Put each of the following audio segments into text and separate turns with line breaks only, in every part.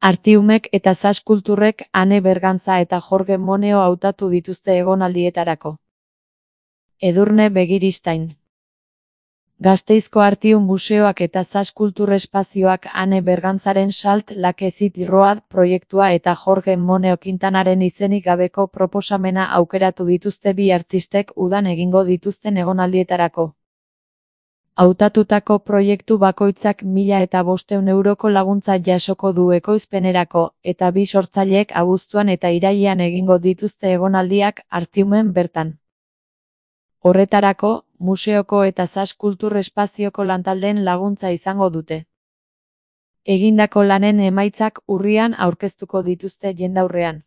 Artiumek eta Zas Kulturrek Ane Bergantza eta Jorge Moneo hautatu dituzte egonaldietarako. Edurne Begiristain. Gasteizko Artium Museoak eta Zas Kultur Espazioak Ane Bergantzaren Salt Like Zit Road proiektua eta Jorge Moneo Quintanaren izenik gabeko proposamena aukeratu dituzte bi artistek udan egingo dituzten egonaldietarako. Hautatutako proiektu bakoitzak 1.500 euroko laguntza jasoko du ekoizpenerako, eta bi sortzaileek abuztuan eta irailean egingo dituzte egonaldiak Artiumen bertan. Horretarako, museoko eta Zas Kultur Espazioko lantaldeen laguntza izango dute. Egindako lanen emaitzak urrian aurkeztuko dituzte jendaurrean.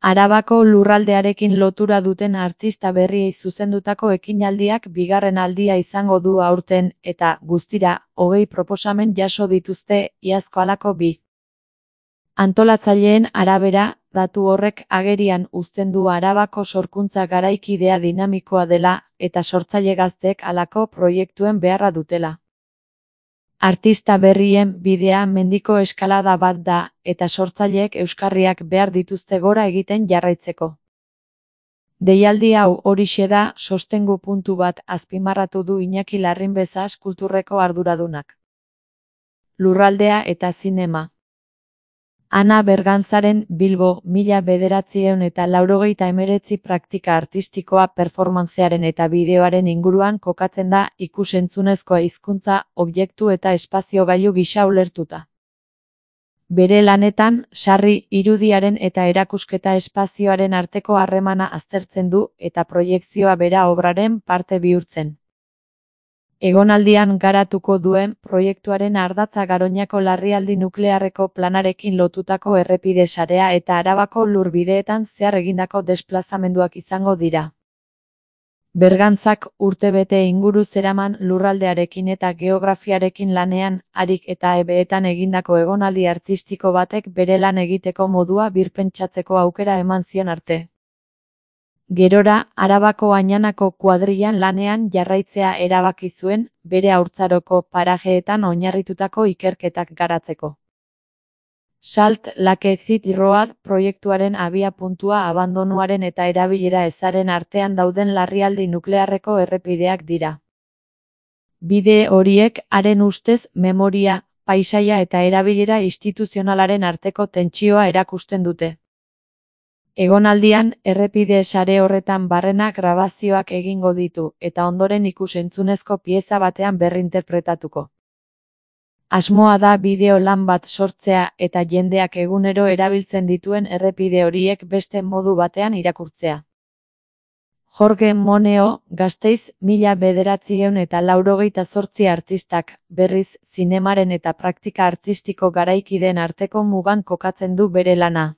Arabako lurraldearekin lotura duten artista berriei zuzendutako ekinaldiak bigarren aldia izango du aurten, eta, guztira, 20 proposamen jaso dituzte, iazko halako bi. Antolatzaileen arabera, datu horrek agerian uzten du Arabako sorkuntza garaikidea dinamikoa dela, eta sortzaile gazteek halako proiektuen beharra dutela. Artista berrien bidea mendiko eskalada bat da, eta sortzaileek euskarriak behar dituzte gora egiten jarraitzeko. Deialdi hau horixe da sostengu puntu bat azpimarratu du Iñaki Larrinbe Zas Kulturreko arduradunak. Lurraldea eta zinema. Ana Bergantzaren Bilbo 1989 praktika artistikoa performantzearen eta bideoaren inguruan kokatzen da ikus-entzunezkoa hizkuntza, objektu eta espazio gailu gisa ulertuta. Bere lanetan, sarri, irudiaren eta erakusketa espazioaren arteko harremana aztertzen du eta proiekzioa bera obraren parte bihurtzen. Egonaldian garatuko duen proiektuaren ardatza Garoñako larrialdi nuklearreko planarekin lotutako errepide sarea eta Arabako lurbideetan zehar egindako desplazamenduak izango dira. Bergantzak urtebete inguru zeraman lurraldearekin eta geografiarekin lanean, harik eta ebeetan egindako egonaldi artistiko batek bere lan egiteko modua birpentsatzeko aukera eman zion arte. Gerora, Arabako Añanako kuadrillan lanean jarraitzea erabaki zuen, bere haurtzaroko parajeetan oinarritutako ikerketak garatzeko. Salt Like Zit Road proiektuaren abiapuntua abandonuaren eta erabilera ezaren artean dauden larrialdi nuklearreko errepideak dira. Bide horiek, haren ustez, memoria, paisaia eta erabilera instituzionalaren arteko tentsioa erakusten dute. Egonaldian, errepide sare horretan barrena grabazioak egingo ditu, eta ondoren ikus-entzunezko pieza batean berrinterpretatuko. Asmoa da bideo lan bat sortzea eta jendeak egunero erabiltzen dituen errepide horiek beste modu batean irakurtzea. Jorge Moneo, Gasteiz 1988 artistak, berriz, zinemaren eta praktika artistiko garaikideen arteko mugan kokatzen du bere lana.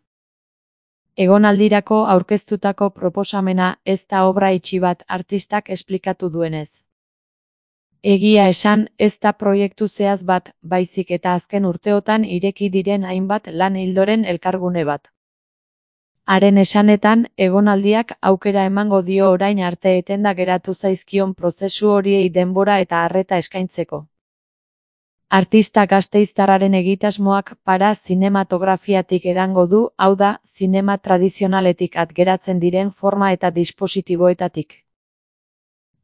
Egonaldirako aurkeztutako proposamena ez da obra itxi bat artistak esplikatu duenez. Egia esan, ez da proiektu zehaz bat, baizik eta azken urteotan ireki diren hainbat lan ildoren elkargune bat. Haren esanetan, egonaldiak aukera emango dio orain arte etenda geratu zaizkion prozesu horiei denbora eta arreta eskaintzeko. Artista gasteiztarraren egitasmoak para zinematografiatik edango du, hau da, zinema tradizionaletik atgeratzen diren forma eta dispositiboetatik.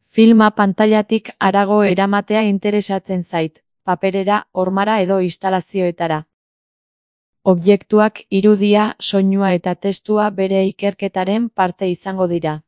Filma pantailatik harago eramatea interesatzen zait, paperera, hormara edo instalazioetara. Objektuak, irudia, soinua eta testua bere ikerketaren parte izango dira.